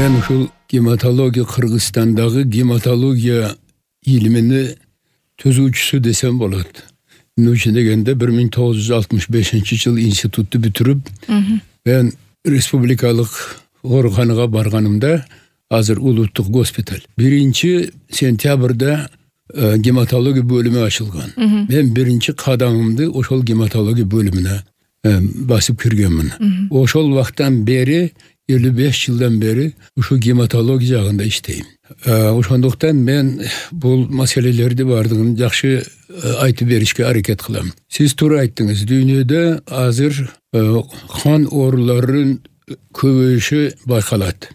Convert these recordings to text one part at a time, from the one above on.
Мен ушул гематология Кыргызстандагы гематология илимини төзүүчүсү десем болот. Нучи дегенде 1965-жыл институтту бүтүрүп, мен республикалык ооруканага барганымда, азыр улуттук госпиталь. 1-сентябрда гематология бөлүмү ачылган. Мен биринчи кадамымды ошол гематология бөлүмүнө басып киргенмин. Ошол вакыттан бери 55 жылдан бери ушу гематология жагында иштейм. Ошондуктан мен бул маселелерди бардыгын жакшы айтып беришке аракет кылам. Сиз туура айттыңыз, дүйнөдө азыр кан ооруларынын көбөйүшү байкалат.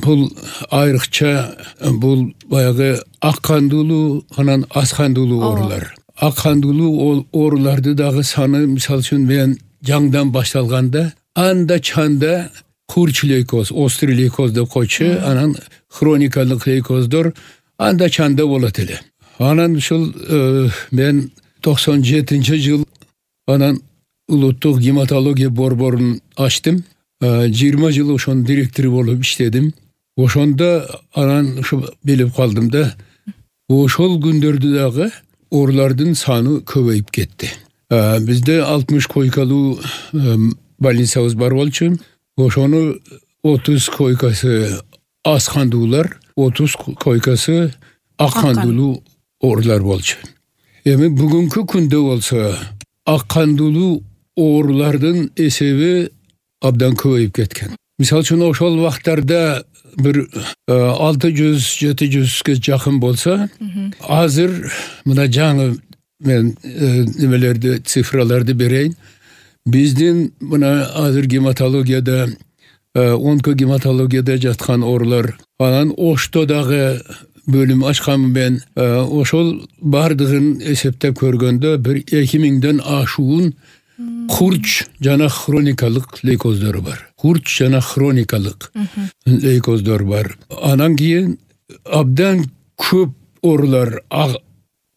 Бул айрыкча бул баягы ак кандуулуу, анан аз кандуулуу оорулар. Ак кандуулуу ооруларды дагы саны, мисалы үчүн мен жаңдан башталганда анда чанда курч лейкоз, острый лейкоз деп койчу, анан хроникалык лейкоздор анда чанда болот эле. Анан ушул мен 97-жыл анан улуттук гематология борборун ачтым. 20 жыл ошонун директору болуп иштедим. Ошондо анан ушу билип калдым да, ошол күндөрдө дагы оорулардын саны көбөйүп кетти. Бизде 60 койкалуу больницабыз бар болчу. Ошону 30 койкасы аз кандуулар, 30 койкасы ак кандуулуу оорулар болчу. Эми бүгүнкү күндө болсо ак кандуулуу оорулардын эсеби абдан көбөйүп кеткен. Мисалы үчүн ошол вакыттарда бир 600-700ге жакын болсо, азыр мына жаңы мен немелерди, цифраларды берейин. Биздин мына азыр гематологияда, онкогематологияда жаткан оорулар, анан Ошто дагы бөлүм ачканмын мен. Ошол бардыгын эсептеп көргөндө бир 2000ден ашуун курч жана хроникалык лейкоздор бар. Курч жана хроникалык лейкоздор бар. Анан кийин абдан көп оорулар,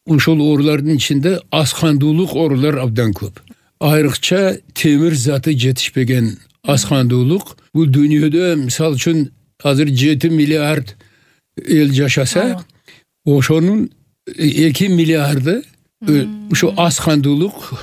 ушул оорулардын ичинде аз кандуулук оорулар абдан көп. Айрыкча темир заты жетишпеген аз кандуулук. Бул дүйнөдө мисалы үчүн азыр 7 миллиард эл жашаса, ошонун 2 миллиарды ушу аз кандуулук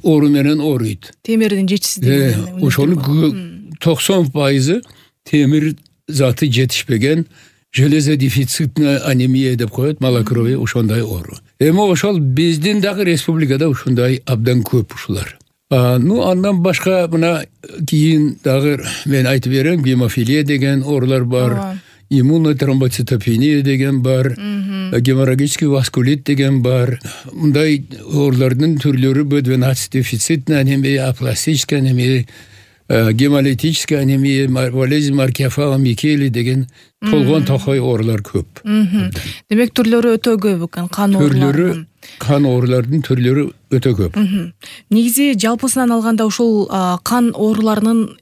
оору менен ооруйт. Темирдин жетишсиздиги. Ошону 90% темир заты жетишпеген железодефицитная анемия деп коет, малокровие, ошондой оору. Эми ошол биздин дагы республикада ушундай абдан көп ушулар. Андан башка мына кийин дагы мен айтып берем, гемофилия деген оорулар бар, иммунотромбоцитопения деген бар, геморрагический васкулит деген бар. Мындай оорулардын түрлөрү B12 дефицитная анемия, апластическая анемия, гемолитическая анемия, болезнь Маркефала Микели деген толгон токой оорулар көп. Демек түрлөрү өтө көп экен, кан оорулары. Кан оорулардын түрлөрү өтө көп. Негизи жалпысынан алганда ушул кан ооруларынын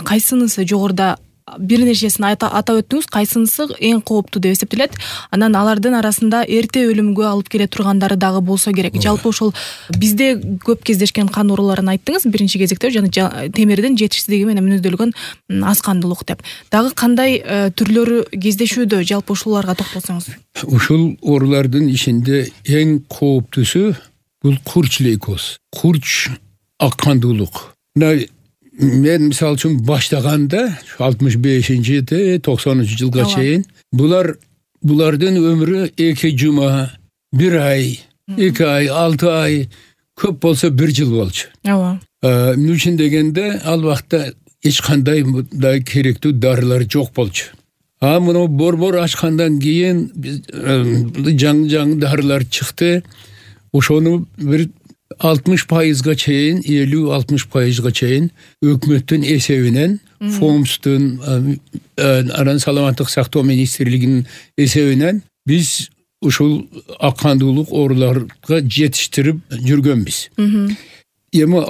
кайсынысы жогоруда бир нерсесин атап өттүңүз, кайсынысы эң кооптуу деп эсептелет? Анан алардын арасында эрте өлүмгө алып келе тургандары дагы болсо керек. Жалпы ошол бизде көп кездешкен кан ооруларын айттыңыз биринчи кезекте, жана темирдин жетишсиздиги менен мүнөздөлгөн аз кандуулук деп. Дагы кандай түрлөрү кездешүүдө, жалпы ушуларга токтолсоңуз? Ушул оорулардын ичинде эң кооптуусу бул курч лейкоз. Курч ак кандуулук. Мен мисалы үчүн баштаганда 65-90 жылга чейин булардын өмүрү 2 жума, 1 ай, 2 ай, 6 ай, көп болсо 1 жыл болчу. Эмне үчүн дегенде ал вакытта эч кандай мындай керектүү дарылар жок болчу. Муну борбор ачкандан кийин жаңы дарылар чыкты. Ошону бир 60%га чейин, 50-60%га чейин өкмөттүн эсебинен, ФОМСтун, анан саламаттык сактоо министрлигинин эсебинен биз ушул ак кандуулук ооруларга жетиштирип жүргөнбүз. Эми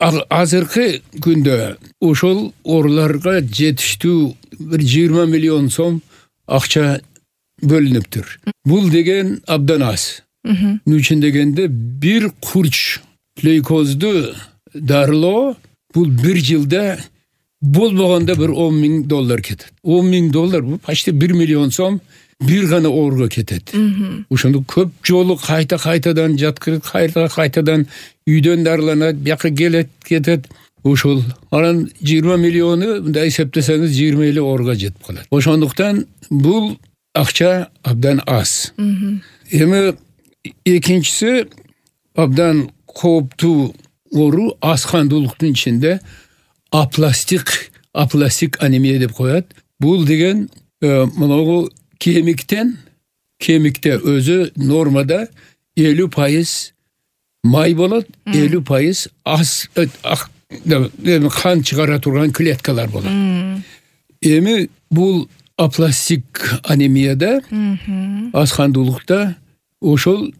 азыркы күндө ошол ооруларга жетиштүү бир 20 миллион сом акча бөлүнүптүр. Бул деген абдан аз. Нүчүн дегенде бир курч лейкозду дарылоо бул 1 жылда болбогондо bir $10.000 кетет. $10.000 бул почти 1 миллион сом бир гана ооруга кетет. Ошондо көп жолу кайтадан жаткырып, кайтадан үйдөн дарыланат, бияка келет, кетет. Ошол анан 20 миллиону мындай эсептесеңиз 20 ооруга жетип калат. Ошондуктан бул акча абдан аз. Эми экинчиси абдан кооптуу оору аскандуулуктун ичинде апластик анемия деп коет. Бул деген мынагу кемикте өзү нормада 50% май болот, 50% кан чыгара турган клеткалар болот. Эми бул апластик анемияда, аскандуулукта ошол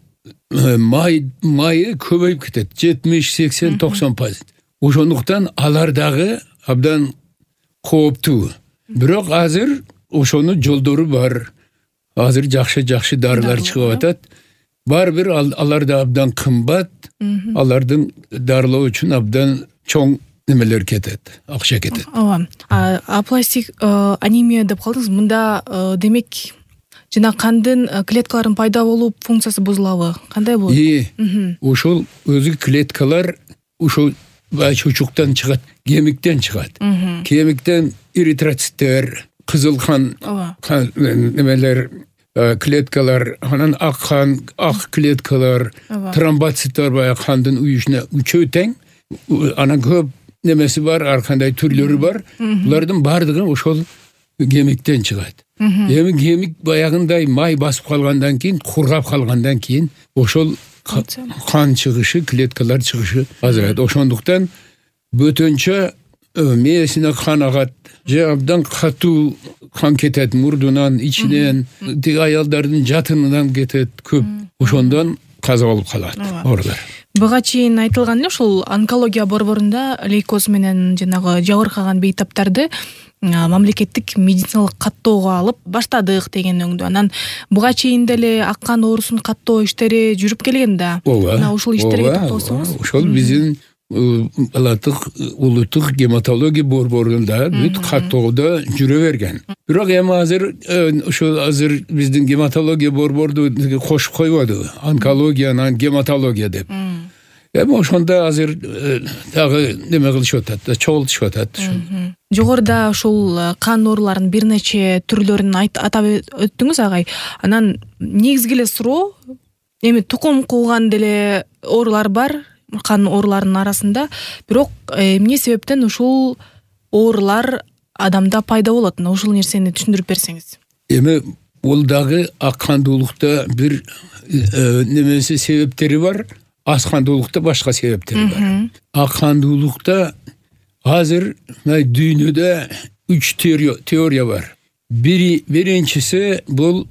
майы көбөйүп кетет. 70-80-90%. Ошондуктан алар дагы абдан кооптуу. Бирок азыр ошонун жолдору бар. Азыр жакшы дарылар чыгып атат. Бар бир алар да абдан кымбат. Алардын дарылоо үчүн абдан чоң немелер кетет, акча кетет. Ооба. Апластик анемия деп калдыңыз. Мында демек жана кандын клеткаларын пайда болуп функциясы бузулабы? Кандай болот? Ошол өзү клеткалар ошол чучуктан чыгат, кемиктен чыгат. Кемиктен эритроциттер, кызыл кан немелер, клеткалар, анан ак клеткалар, тромбоциттер баягы кандын уюшуна үчөө тең. Анан көп немеси бар, ар кандай түрлөрү бар. Булардын бардыгы ошол кемиктен чыгат. Эми кемик баягындай май басып калгандан кийин, кургап калгандан кийин ошол кан чыгышы, клеткалар чыгышы азырайт. Ошондуктан бөтөнчө мээсине кан агат, же абдан катуу кан кетет мурдунан, ичинен, тиги аялдардын жатынынан кетет көп. Ошондон каза болуп калат оорулар. Буга чейин айтылган эле ушул онкология борборунда лейкоз менен жанагы жабыркаган бейтаптарды мамлекеттик медициналык каттоого алып баштадык деген өңдү. Анан буга чейин деле аккан оорусун каттоо иштери жүрүп келген да. Мына ушул иштерге токтолсоңуз. Ошол биздин улуттук гематология борборунда бүт каттоодо жүрө берген. Бирок эми азыр биздин гематология борборду кошуп койбоду. Онкологиянан гематология деп. Эми ошондо азыр дагы неме кылышып атат, чогултушуп атат. Жогоруда ушул кан ооруларынын бир нече түрлөрүн атап өттүңүз агай. Анан негизги эле суроо, эми тукум кууган деле оорулар бар, кан ооруларынын арасында, бирок эмне себептен ушул оорулар адамда пайда болот? Ушул нерсени түшүндүрүп берсеңиз. Эми бул дагы аккандуулукта бир немеси себептери бар, аскандуулукта башка себептери бар. Аккандуулукта азыр дүйнөдө 3 теория бар. Биринчиси бул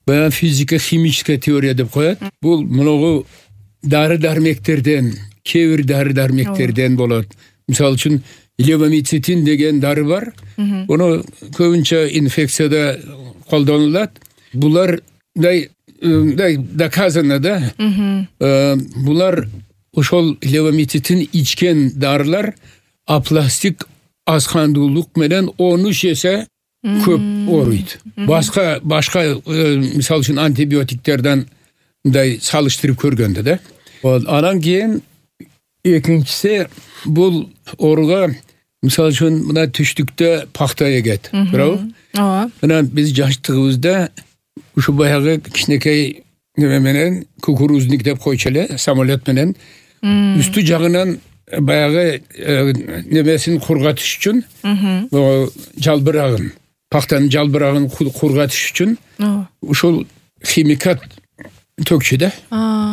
физика-химическая теория деп коет. Бул мынагу дары-дармектерден, кээ бир дары-дармектерден болот. Мисалы үчүн левомицетин деген дары бар. Ону көбүнчө инфекцияда колдонулат. Булар доказано да. Булар ошол левомицетин ичкен дарылар апластик аскандуулук менен 13 эсе көп ооруйт. Башка мисалы үчүн антибиотиктерден мындай салыштырып көргөндө да. Анан кийин экинчиси бул ооруга мисалы үчүн мына түштүктө пахта эгет. Туурабы? Ооба. Анан биз жаштыгыбызда ушу баягы кичинекей неме менен кукурузник деп койчу эле, самолет менен үстү жагынан баягы немесин кургатыш үчүн, жалбырагын, пахтанын жалбырагын кургатыш үчүн ушул химикат төкчү да,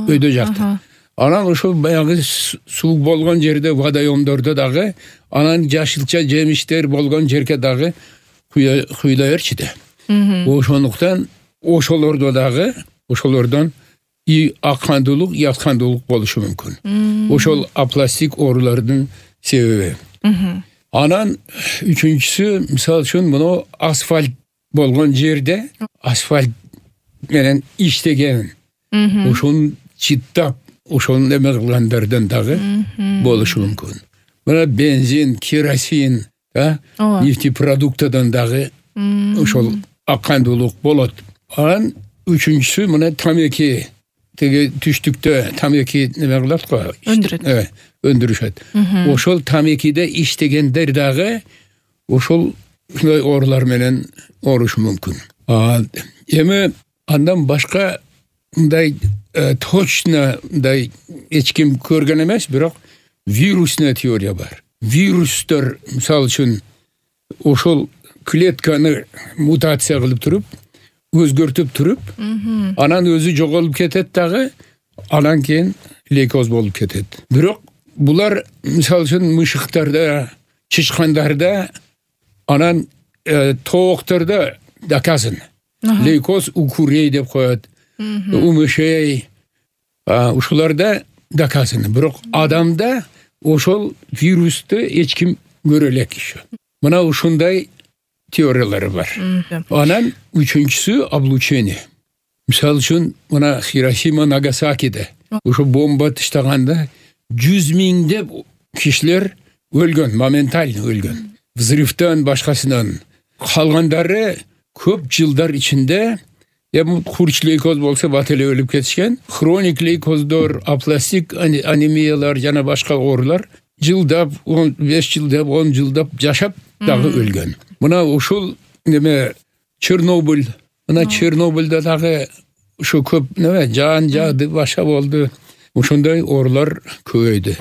өйдө жакта. Анан ошол баягы суу болгон жерде, водоемдордо дагы, анан жашылча жемиштер болгон жерге дагы куйла берчи да. Ошондуктан ошолордо дагы, ошолордон и аккандуулук, и аскандуулук болушу мүмкүн. Ошол апластик оорулардын себеби. Анан үчүнчүсү, мисалы үчүн мына асфальт болгон жерде, асфальт менен иштеген, ошону чыттап, ошону эме кылгандардан дагы болушу мүмкүн. Мына бензин, керосин, нефтепродуктадан дагы ошол аккандуулук болот. Анан үчүнчүсү мына тамеки, теге түштүктө тамеки неме кылат го, өндүрүшөт. Ошол тамекиде иштегендер дагы ошол ушундай оорулар менен оорушу мүмкүн. Эми андан башка мындай точно мындай эч ким көргөн эмес, бирок вирусный теория бар. Вирустор мисалы үчүн ошол клетканы мутация кылып туруп, өзгөртүп туруп, анан өзү жоголуп кетет дагы, анан кийин лейкоз болуп кетет. Бирок булар мисалы үчүн мышыктарда, чычкандарда, анан тооктордо доказано. Лейкоз укурей деп коет, умышей, ушуларда доказано. Бирок адамда ошол вирусту эч ким көрө элек еще. Мына ушундай теориялары бар. Анан үчүнчүсү облучение. Мисалы үчүн мына Хиросима, Нагасакиде ошо бомба таштаганда 100 миңдеп кишилер өлгөн, моментально өлгөн. Взрывтан башкасынан. Калгандары көп жылдар ичинде курч лейкоз болсо бат эле өлүп кетишкен. Хроник лейкоздор, апластик анемиялар жана башка оорулар жылдап, 5 жылдап, 10 жылдап жашап дагы өлгөн. Мына ушул неме Чернобыль, мына Чернобыльда дагы ушу көп неме жан жаады, баша болду. Ушундай оорулар көбөйдү.